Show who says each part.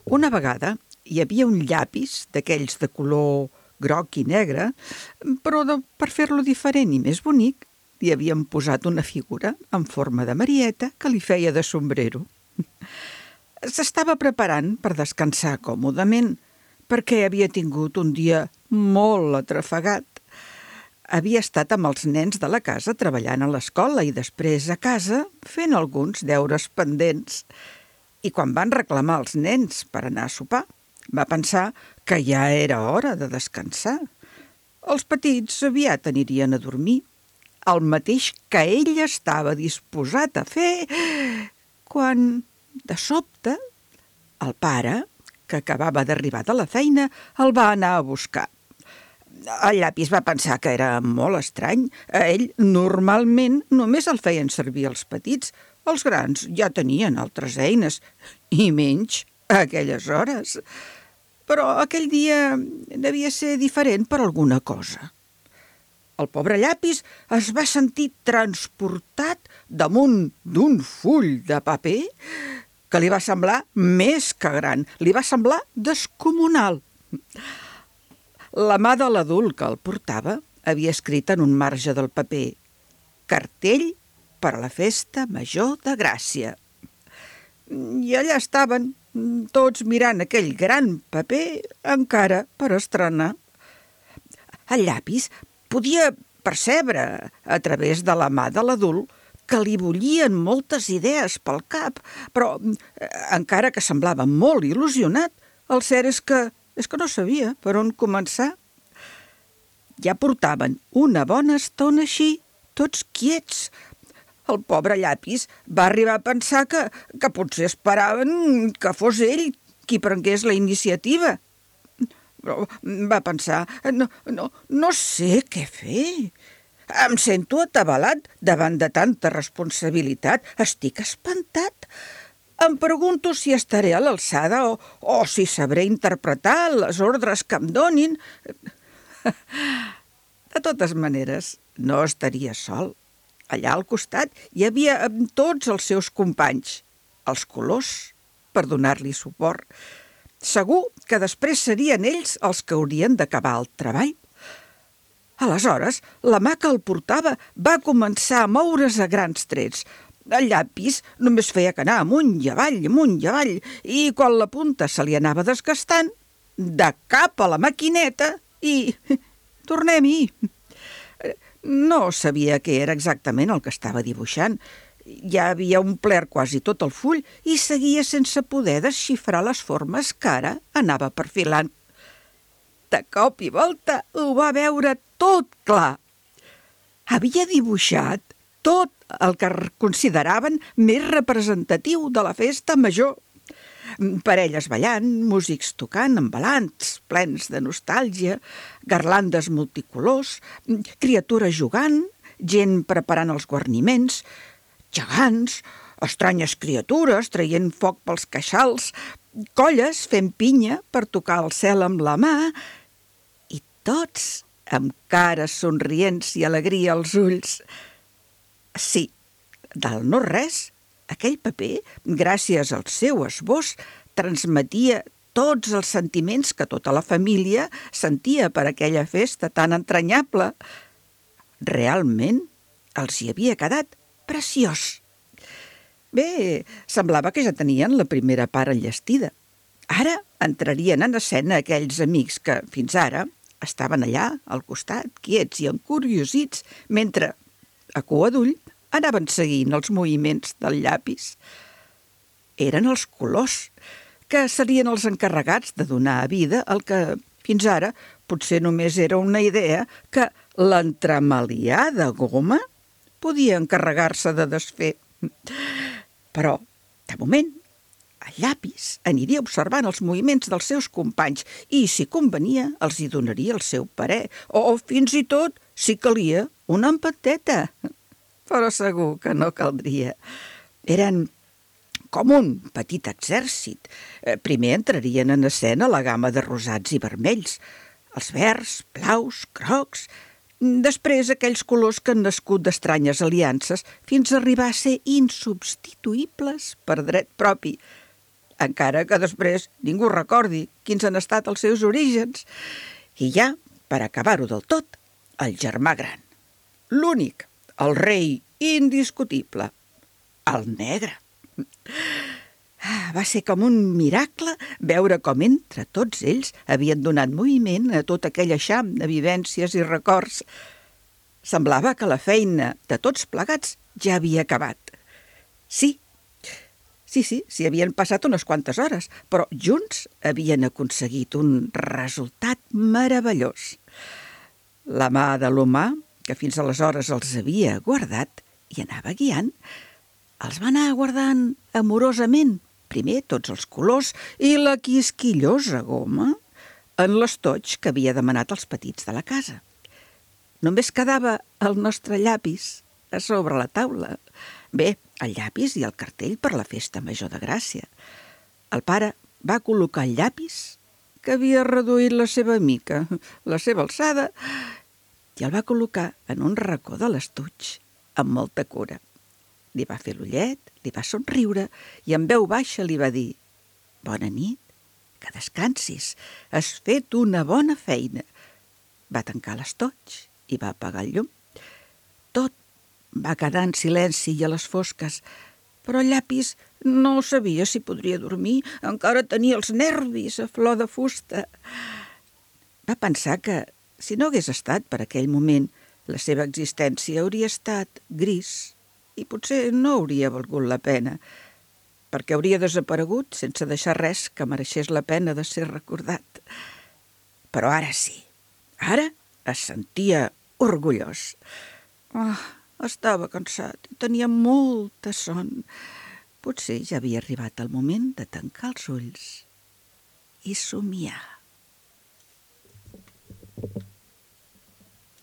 Speaker 1: Una vegada hi havia un llapis d'aquells de color groc i negre, però per fer-lo diferent i més bonic, li havien posat una figura en forma de Marieta que li feia de sombrero. S'estava preparant per descansar còmodament, perquè havia tingut un dia molt atrafegat. Havia estat amb els nens de la casa treballant a l'escola i després a casa fent alguns deures pendents. I quan van reclamar els nens per anar a sopar, va pensar que ja era hora de descansar. Els petits aviat anirien a dormir, el mateix que ell estava disposat a fer, quan, de sobte, el pare, que acabava d'arribar de la feina, el va anar a buscar. El llapis va pensar que era molt estrany. A ell normalment només el feien servir els petits. Els grans ja tenien altres eines, i menys a aquelles hores. Però aquell dia devia ser diferent per alguna cosa. El pobre llapis es va sentir transportat damunt d'un full de paper que li va semblar més que gran, li va semblar descomunal. La mà de l'adult que el portava havia escrit en un marge del paper «Cartell per a la festa major de Gràcia». I allà estaven, tots mirant aquell gran paper encara per estrenar. El llapis podia percebre a través de la mà de l'adult que li bullien moltes idees pel cap, però encara que semblava molt il·lusionat, el cert és que no sabia per on començar. Ja portaven una bona estona així, tots quiets. El pobre llapis va arribar a pensar que potser esperaven que fos ell qui prengués la iniciativa. Però va pensar, no sé què fer. Em sento atabalat davant de tanta responsabilitat. Estic espantat. Em pregunto si estaré a l'alçada o si sabré interpretar les ordres que em donin. De totes maneres, no estaria sol. Allà al costat hi havia tots els seus companys, els colors, per donar-li suport. Segur que després serien ells els que haurien d'acabar el treball. Aleshores, la mà que el portava va començar a moure's a grans trets. El llapis només feia que anar amunt i avall, i quan la punta se li anava desgastant, de cap a la maquineta i tornem-hi. No sabia què era exactament el que estava dibuixant. Ja havia omplert quasi tot el full i seguia sense poder desxifrar les formes que ara anava perfilant. De cop i volta ho va veure tot clar. Havia dibuixat tot el que consideraven més representatiu de la festa major. Parelles ballant, músics tocant, embalants plens de nostàlgia, garlandes multicolors, criatures jugant, gent preparant els guarniments, gegants, estranyes criatures traient foc pels queixals, colles fent pinya per tocar el cel amb la mà, i tots amb cares somrients i alegria als ulls. Sí, del no-res, aquell paper, gràcies al seu esbós, transmetia tots els sentiments que tota la família sentia per aquella festa tan entranyable. Realment, els hi havia quedat preciós. Bé, semblava que ja tenien la primera part enllestida. Ara entrarien en escena aquells amics que, fins ara, estaven allà, al costat, quiets i encuriosits, mentre, a cua d'ull, anaven seguint els moviments del llapis. Eren els colors, que serien els encarregats de donar a vida el que, fins ara, potser només era una idea que l'entremaliar de goma podia encarregar-se de desfer. Però, de moment, el llapis aniria observant els moviments dels seus companys i, si convenia, els hi donaria el seu parer, o fins i tot, si calia, una empateta. Però segur que no caldria. Eren com un petit exèrcit. Primer entrarien en escena la gamma de rosats i vermells, els verds, blaus, grocs, després aquells colors que han nascut d'estranyes aliances fins a arribar a ser insubstituïbles per dret propi. encara que després ningú recordi quins han estat els seus orígens. I ja, per acabar-ho del tot, el germà gran, l'únic, el rei indiscutible, el negre. Va ser com un miracle veure com entre tots ells havien donat moviment a tot aquell eixam de vivències i records. Semblava que la feina de tots plegats ja havia acabat. Sí, s'hi havien passat unes quantes hores, però junts havien aconseguit un resultat meravellós. La mà de l'humà, que fins aleshores els havia guardat i anava guiant, els va anar guardant amorosament, primer tots els colors i la quisquillosa goma en l'estoig que havia demanat els petits de la casa. Només quedava el nostre llapis a sobre la taula. Bé, el llapis i el cartell per la festa major de Gràcia. El pare va col·locar el llapis, que havia reduït la seva mica, la seva alçada, i el va col·locar en un racó de l'estuig, amb molta cura. Li va fer l'ullet, li va somriure i en veu baixa li va dir: «Bona nit, que descansis, has fet una bona feina». Va tancar l'estoig i va apagar el llum. Tot va quedar en silenci i a les fosques, però el llapis no sabia si podria dormir, encara tenia els nervis a flor de fusta. Va pensar que, si no hagués estat per aquell moment, la seva existència hauria estat gris i potser no hauria valgut la pena, perquè hauria desaparegut sense deixar res que mereixés la pena de ser recordat. Però ara sí, ara es sentia orgullós. Estava cansat i tenia molta son. Potser ja havia arribat el moment de tancar els ulls i somiar.